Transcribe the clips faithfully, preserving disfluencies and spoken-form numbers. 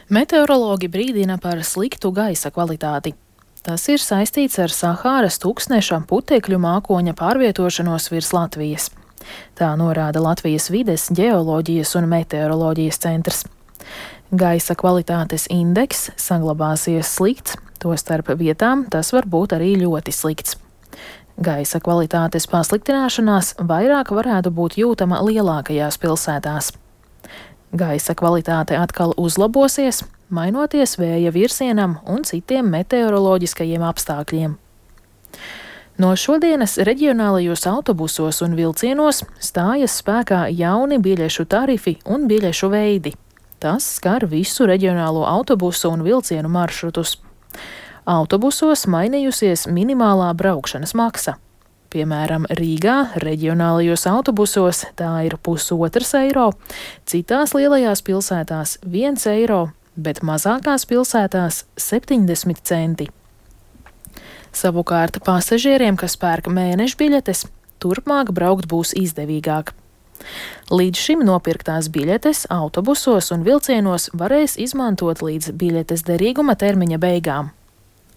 Meteorologi brīdina par sliktu gaisa kvalitāti. Tas ir saistīts ar Sahāras tūkstneša putekļu mākoņa pārvietošanos virs Latvijas. Tā norāda Latvijas vides, ģeoloģijas un meteoroloģijas centrs. Gaisa kvalitātes indeks saglabāsies slikts, tostarp vietām tas var būt arī ļoti slikts. Gaisa kvalitātes pasliktināšanās vairāk varētu būt jūtama lielākajās pilsētās. Gaisa kvalitāte atkal uzlabosies, mainoties vēja virsienam un citiem meteoroloģiskajiem apstākļiem. No šodienas reģionālajos autobusos un vilcienos stājas spēkā jauni biļešu tarifi un biļešu veidi. Tas skar visu reģionālo autobusu un vilcienu maršrutus. Autobusos mainījusies minimālā braukšanas maksa. Piemēram, Rīgā reģionālajos autobusos tā ir pusotrs eiro, citās lielajās pilsētās viens eiro, bet mazākās pilsētās septiņdesmit centi. Savukārt pasažieriem, kas pērk mēneša biļetes, turpmāk braukt būs izdevīgāk. Līdz šim nopirktās biļetes autobusos un vilcienos varēs izmantot līdz biļetes derīguma termiņa beigām.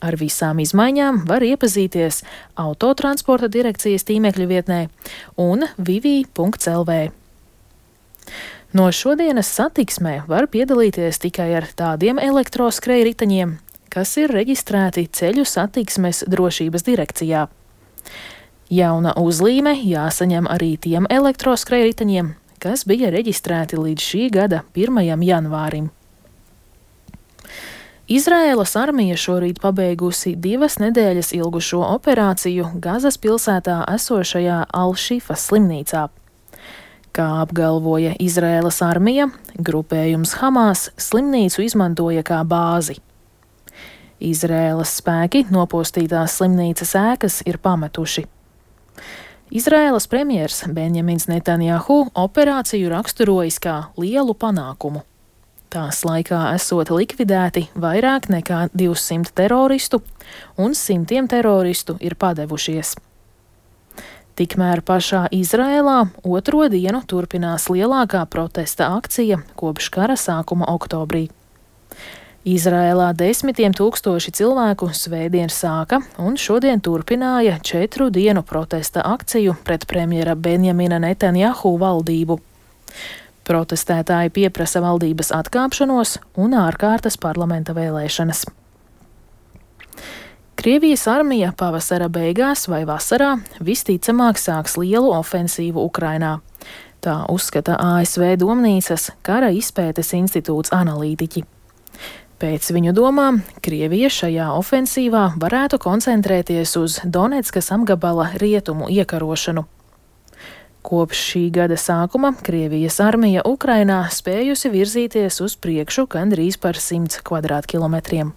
Ar visām izmaiņām var iepazīties Autotransporta direkcijas tīmekļa vietnē un vivi punkts el vē. No šodienas satiksmē var piedalīties tikai ar tādiem elektroskrejriteņiem, kas ir reģistrēti Ceļu satiksmes drošības direkcijā. Jauna uzlīme jāsaņem arī tiem elektroskrejriteņiem, kas bija reģistrēti līdz šī gada pirmajam janvārim. Izraēlas armija šorīt pabeigusi divas nedēļas ilgušo operāciju Gazas pilsētā esošajā Al-Šifas slimnīcā. Kā apgalvoja Izraēlas armija, grupējums Hamas slimnīcu izmantoja kā bāzi. Izraēlas spēki nopostītās slimnīcas ēkas ir pametuši. Izraēlas premjers Benjamins Netanjahu operāciju raksturojis kā lielu panākumu. Tās laikā esot likvidēti vairāk nekā divsimt teroristu, un simtiem teroristu ir padevušies. Tikmēr pašā Izraēlā otro dienu turpinās lielākā protesta akcija kopš kara sākuma oktobrī. Izraēlā desmitiem tūkstoši cilvēku svētdien sāka un šodien turpināja četru dienu protesta akciju pret premjera Benjamina Netanjahu valdību. Protestētāji pieprasa valdības atkāpšanos un ārkārtas parlamenta vēlēšanas. Krievijas armija pavasara beigās vai vasarā visticamāk sāks lielu ofensīvu Ukrainā. Tā uzskata A S V Domnīcas kara izpētes institūts analītiķi. Pēc viņu domām, Krievija šajā ofensīvā varētu koncentrēties uz Donetskas apgabala rietumu iekarošanu. Kopš šī gada sākuma Krievijas armija Ukrainā spējusi virzīties uz priekšu gandrīz par simts kvadrātkilometriem.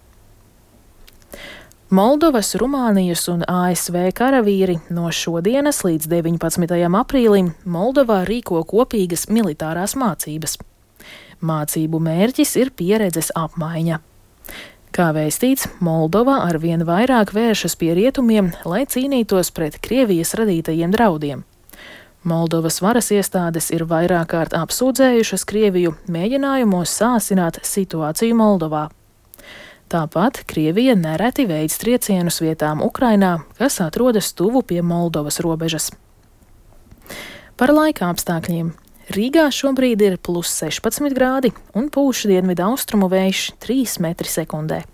Moldovas, Rumānijas un A S V karavīri no šodienas līdz deviņpadsmitajam aprīlim Moldovā rīko kopīgas militārās mācības. Mācību mērķis ir pieredzes apmaiņa. Kā vēstīts, Moldova arvien vairāk vēršas pie rietumiem, lai cīnītos pret Krievijas radītajiem draudiem. Moldovas varas iestādes ir vairāk kārt apsūdzējušas Krieviju mēģinājumos sāsināt situāciju Moldovā. Tāpat Krievija nereti veic triecienus vietām Ukrainā, kas atrodas tuvu pie Moldovas robežas. Par laika apstākļiem. Rīgā šobrīd ir plus sešpadsmit grādi un pūš dienvidu austrumu vējš trīs metri sekundē.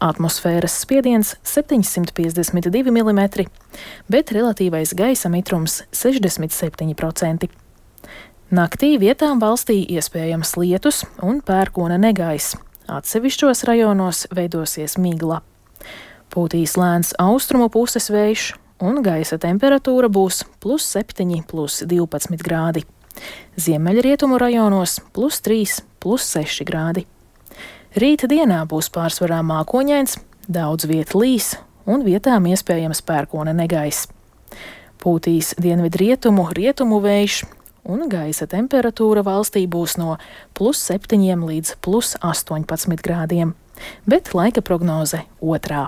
Atmosfēras spiediens septiņsimt piecdesmit divi milimetri, bet relatīvais gaisa mitrums sešdesmit septiņi procenti. Naktī vietām valstī iespējams lietus un pērkona negaiss. Atsevišķos rajonos veidosies migla. Pūtīs lēns austrumu puses vējš un gaisa temperatūra būs plus septiņi, plus divpadsmit grādi. Ziemeļrietumu rajonos plus trīs, plus seši grādi. Rīta dienā būs pārsvarā mākoņains, daudz viet līs un vietām iespējams pērkona negaiss. Pūtīs dienvidrietumu, rietumu vējš un gaisa temperatūra valstī būs no plus septiņiem līdz plus astoņpadsmit grādiem, bet laika prognoze otrā.